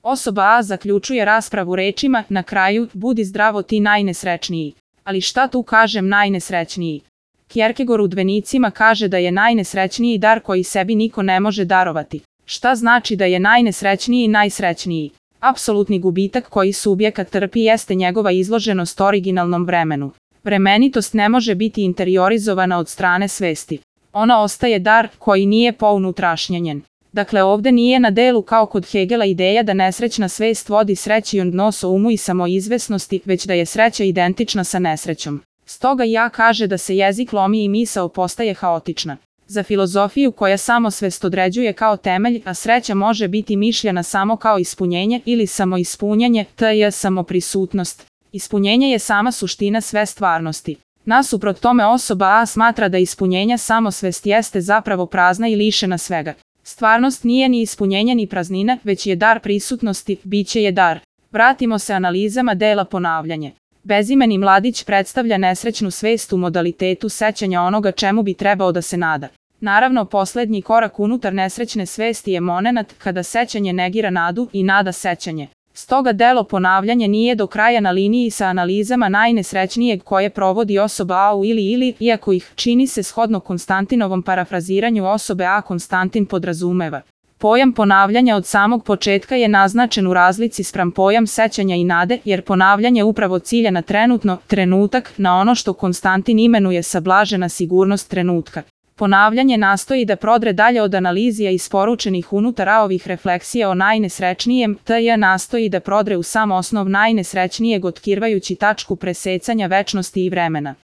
Osoba A zaključuje raspravu rečima, na kraju, budi zdravo ti najnesrećniji. Ali šta tu kažem najnesrećniji? Kierkegaard u Dvenicima kaže da je najnesrećniji dar koji sebi niko ne može darovati. Šta znači da je najnesrećniji najsrećniji? Apsolutni gubitak koji subjekat trpi jeste njegova izloženost originalnom vremenu. Vremenitost ne može biti interiorizovana od strane svesti. Ona ostaje dar koji nije pounutrašnjenjen. Dakle, ovde nije na delu kao kod Hegela ideja da nesrećna svest vodi sreći odnos o umu i samoizvesnosti, već da je sreća identična sa nesrećom. Stoga ja kaže da se jezik lomi i misao postaje haotična. Za filozofiju koja samosvest određuje kao temelj, a sreća može biti mišljena samo kao ispunjenje ili samoispunjanje, t.j. samoprisutnost. Ispunjenje je sama suština sve stvarnosti. Nasuprot tome osoba A smatra da ispunjenja samosvest jeste zapravo prazna i lišena svega. Stvarnost nije ni ispunjenje ni praznina, već je dar prisutnosti, biće je dar. Vratimo se analizama dela ponavljanje. Bezimeni mladić predstavlja nesrećnu svest u modalitetu sećanja onoga čemu bi trebao da se nada. Naravno, poslednji korak unutar nesrećne svesti je momenat kada sećanje negira nadu i nada sećanje. Stoga delo ponavljanje nije do kraja na liniji sa analizama najnesrećnijeg koje provodi osoba A u ili, iako ih, čini se shodno Konstantinovom parafraziranju osobe A, Konstantin podrazumeva. Pojam ponavljanja od samog početka je naznačen u razlici spram pojam sećanja i nade, jer ponavljanje upravo cilja na trenutno, trenutak, na ono što Konstantin imenuje sablažena sigurnost trenutka. Ponavljanje nastoji da prodre dalje od analizija isporučenih unutar A-ovih refleksija o najnesrećnijem, t.j. nastoji da prodre u sam osnov najnesrećnijeg otkrivajući tačku presecanja večnosti i vremena.